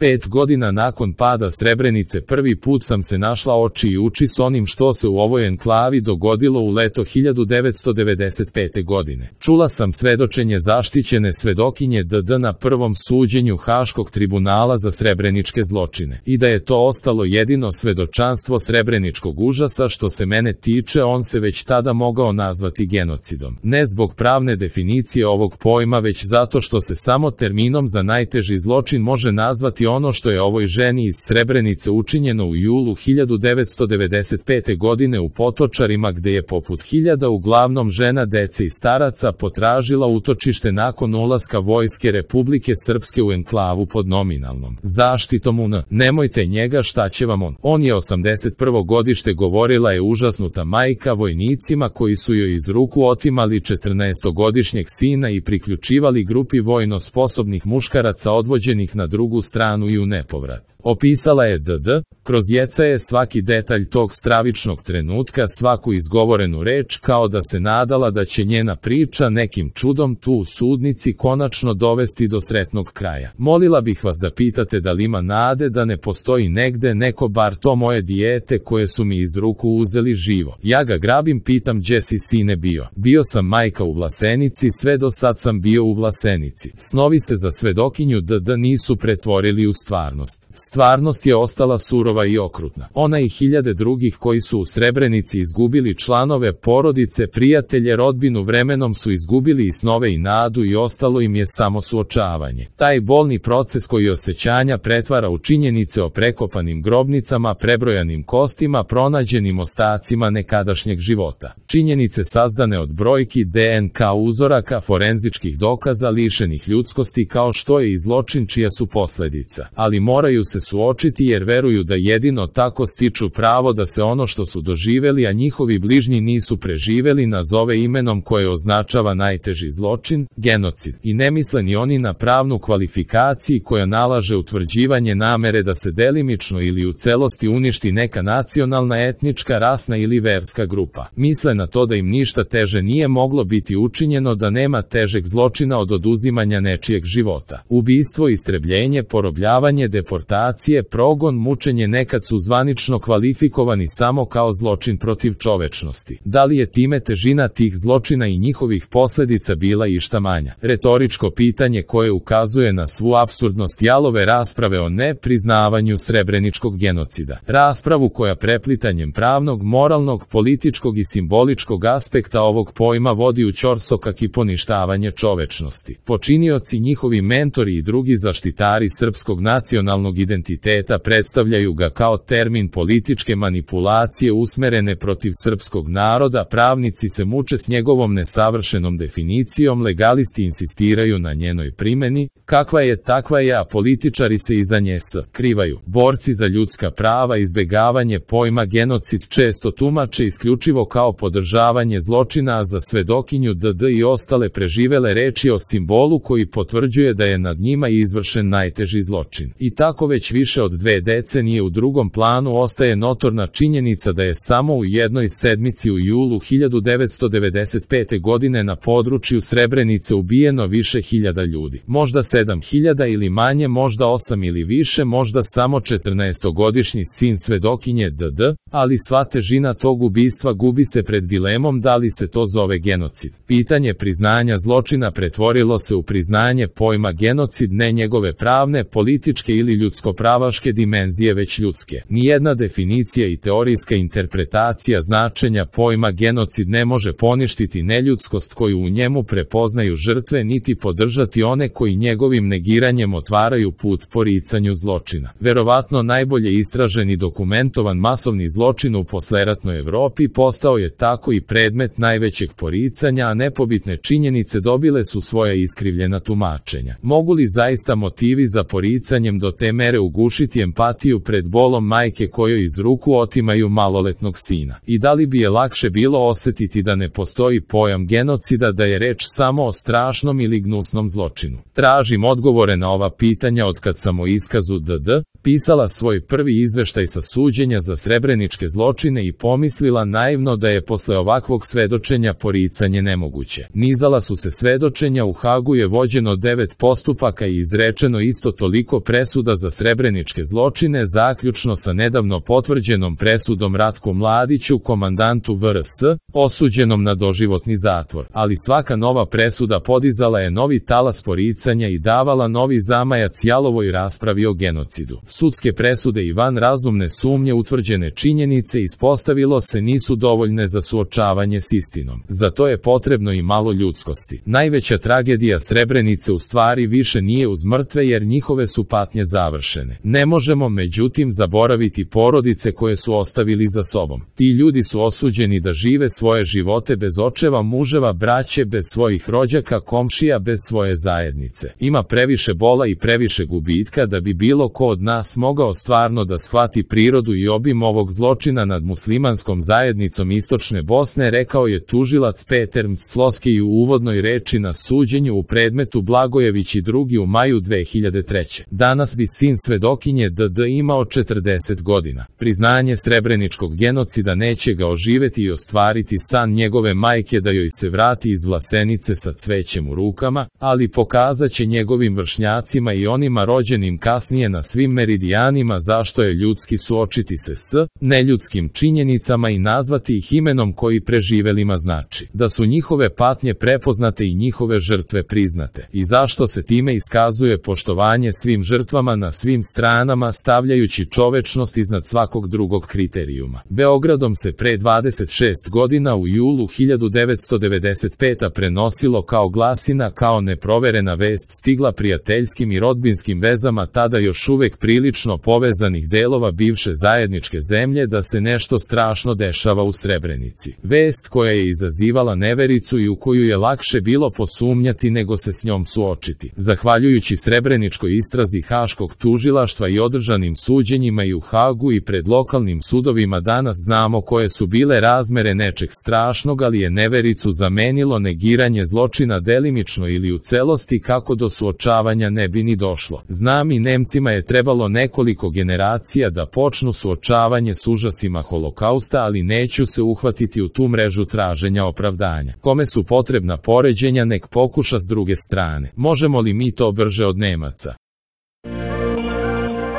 5 godina nakon pada Srebrenice prvi put sam se našla oči i uči s onim što se u ovoj enklavi dogodilo u leto 1995. godine. Čula sam svedočenje zaštićene svedokinje DD na prvom suđenju Haškog tribunala za srebreničke zločine. I da je to ostalo jedino svedočanstvo srebreničkog užasa što se mene tiče, on se već tada mogao nazvati genocidom. Ne zbog pravne definicije ovog pojma, već zato što se samo terminom za najteži zločin može nazvati ono što je ovoj ženi iz Srebrenice učinjeno u julu 1995. godine u Potočarima, gde je poput hiljada uglavnom žena, dece i staraca potražila utočište nakon ulaska vojske Republike Srpske u enklavu pod nominalnom zaštitom UN. Nemojte njega, šta će vam on? On je 81. godište, govorila je užasnuta majka vojnicima koji su joj iz ruku otimali 14-godišnjeg sina i priključivali grupi vojno sposobnih muškaraca odvođenih na drugu stranu i u nepovrat. Opisala je DD, kroz jecaje svaki detalj tog stravičnog trenutka, svaku izgovorenu reč, kao da se nadala da će njena priča nekim čudom tu u sudnici konačno dovesti do sretnog kraja. Molila bih vas da pitate da li ima nade da ne postoji negde neko, bar to moje dijete koje su mi iz ruku uzeli živo. Ja ga grabim, pitam, gdje si sine bio? Bio sam, majka, u Vlasenici, sve do sad sam bio u Vlasenici. Snovi se za svedokinju DD nisu pretvorili u stvarnost. Stvarnost je ostala surova i okrutna. Ona i hiljade drugih koji su u Srebrenici izgubili članove porodice, prijatelje, rodbinu, vremenom su izgubili i snove i nadu i ostalo im je samo suočavanje. Taj bolni proces koji osjećanja pretvara u činjenice o prekopanim grobnicama, prebrojanim kostima, pronađenim ostacima nekadašnjeg života. Činjenice sazdane od brojki, DNK uzoraka, forenzičkih dokaza, lišenih ljudskosti, kao što je i zločin čija su posljedica. Ali moraju se suočiti jer veruju da jedino tako stiču pravo da se ono što su doživeli, a njihovi bližnji nisu preživeli, nazove imenom koje označava najteži zločin, genocid. I ne misle ni oni na pravnu kvalifikaciju koja nalaže utvrđivanje namere da se delimično ili u celosti uništi neka nacionalna, etnička, rasna ili verska grupa. Misle na to da im ništa teže nije moglo biti učinjeno, da nema težeg zločina od oduzimanja nečijeg života. Ubistvo, istrebljenje, porobljavanje, deportacije, progon, mučenje nekad su zvanično kvalifikovani samo kao zločin protiv čovečnosti. Da li je time težina tih zločina i njihovih posljedica bila išta manja? Retoričko pitanje koje ukazuje na svu apsurdnost jalove rasprave o nepriznavanju srebreničkog genocida. Raspravu koja preplitanjem pravnog, moralnog, političkog i simboličkog aspekta ovog pojma vodi u ćorsokak i poništavanje čovečnosti. Počinioci, njihovi mentori i drugi zaštitari srpskog nacionalnog identiteta predstavljaju ga kao termin političke manipulacije usmerene protiv srpskog naroda, pravnici se muče s njegovom nesavršenom definicijom, legalisti insistiraju na njenoj primjeni, kakva je takva je, a političari se iza nje skrivaju. Borci za ljudska prava izbjegavanje pojma genocid često tumače isključivo kao podržavanje zločina, a za svedokinju DD i ostale preživele reči o simbolu koji potvrđuje da je nad njima izvršen najteži zločin. I tako već više od 2 decenije u drugom planu ostaje notorna činjenica da je samo u jednoj sedmici u julu 1995. godine na području Srebrenice ubijeno više hiljada ljudi. Možda 7.000 ili manje, možda 8 ili više, možda samo 14-godišnji sin svedokinje DD, ali sva težina tog ubistva gubi se pred dilemom da li se to zove genocid. Pitanje priznanja zločina pretvorilo se u priznanje pojma genocid, ne njegove pravne, političke ili ljudsko-pravaške dimenzije, već ljudske. Nijedna definicija i teorijska interpretacija značenja pojma genocid ne može poništiti neljudskost koju u njemu prepoznaju žrtve, niti podržati one koji njegovim negiranjem otvaraju put poricanju zločina. Verovatno najbolje istražen i dokumentovan masovni zločin u posleratnoj Evropi postao je tako i predmet najvećeg poricanja, a nepobitne činjenice dobile su svoja iskrivljena tumačenja. Mogu li zaista motivi za poricanjem do te mere ugušiti empatiju pred bolom majke kojoj iz ruku otimaju maloletnog sina? I da li bi je lakše bilo osjetiti da ne postoji pojam genocida, da je reč samo o strašnom ili gnusnom zločinu? Tražim odgovore na ova pitanja od kad sam o iskazu DD, pisala svoj prvi izveštaj sa suđenja za srebreničke zločine i pomislila naivno da je posle ovakvog svedočenja poricanje nemoguće. Nizala su se svedočenja, u Hagu je vođeno 9 postupaka i izrečeno isto toliko presuda za srebreničke zločine, zaključno sa nedavno potvrđenom presudom Ratku Mladiću, komandantu VRS, osuđenom na doživotni zatvor. Ali svaka nova presuda podizala je novi talas poricanja i davala novi zamajac jalovoj raspravi o genocidu. Sudske presude i van razumne sumnje utvrđene činjenice ispostavilo se nisu dovoljne za suočavanje s istinom. Za to je potrebno i malo ljudskosti. Najveća tragedija Srebrenice u stvari više nije uz mrtve jer njihove su patnje završene. Ne možemo međutim zaboraviti porodice koje su ostavili za sobom. Ti ljudi su osuđeni da žive svoje živote bez očeva, muževa, braće, bez svojih rođaka, komšija, bez svoje zajednice. Ima previše bola i previše gubitka da bi bilo ko od nas mogao stvarno da shvati prirodu i obim ovog zločina nad muslimanskom zajednicom Istočne Bosne, rekao je tužilac Peter Mclosky u uvodnoj reči na suđenju u predmetu Blagojević i drugi u maju 2003. Danas bi sin svedokinje DD imao 40 godina. Priznanje srebreničkog genocida neće ga oživeti i ostvariti san njegove majke da joj se vrati iz Vlasenice sa cvećem u rukama, ali pokazat će njegovim vršnjacima i onima rođenim kasnije na svim meridijanima zašto je ljudski suočiti se s neljudskim činjenicama i nazvati ih imenom koji preživelima znači, da su njihove patnje prepoznate i njihove žrtve priznate, i zašto se time iskazuje poštovanje svim žrtvama na svim stranama stavljajući čovečnost iznad svakog drugog kriterijuma. Beogradom se pre 26 godina u julu 1995. prenosilo kao glasina, kao neproverena vest stigla prijateljskim i rodbinskim vezama tada još uvek prilično povezanih delova bivše zajedničke zemlje da se nešto strašno dešava u Srebrenici. Vest koja je izazivala nevericu i u koju je lakše bilo posumnjati nego se s njom suočiti. Zahvaljujući srebreničkoj istrazi Haškog tužilaštva i održanim suđenjima i u Hagu i pred lokalnim sudovima danas znamo koje su bile razmere nečeg strašnog, ali je nevericu zamenilo negiranje zločina delimično ili u celosti kako do suočavanja ne bi ni došlo. Znam i Nemcima je trebalo nekoliko generacija da počnu suočavanje s užasima Holokausta, ali neću se uhvatiti u tu mrežu traženja opravdanja. Kome su potrebna poređenja nek pokuša s druge strane. Možemo li mi to brže od Nemaca?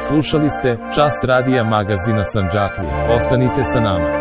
Slušali ste Čas radija magazina Sandžaklije. Ostanite sa nama.